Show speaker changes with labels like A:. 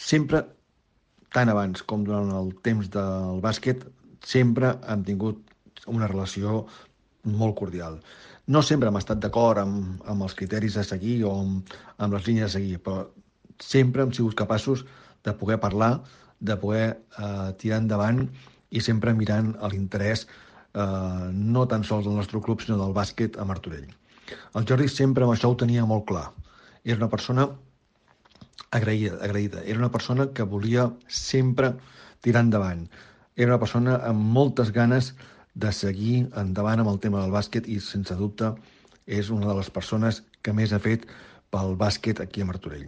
A: sempre, tant abans com durant el temps del bàsquet, sempre hem tingut una relació molt cordial. No sempre hem estat d'acord amb els criteris a seguir o amb les línies a seguir, però sempre hem sigut capaços de poder parlar, de poder tirar endavant i sempre mirant a l'interès no tan sols del nostre club, sinó del bàsquet a Martorell. El Jordi sempre amb això ho tenia molt clar. Era una persona agraïda. Era una persona que volia sempre tirar endavant. Era una persona amb moltes ganes de seguir endavant amb el tema del bàsquet i, sense dubte, és una de les persones que més ha fet pel bàsquet aquí a Martorell.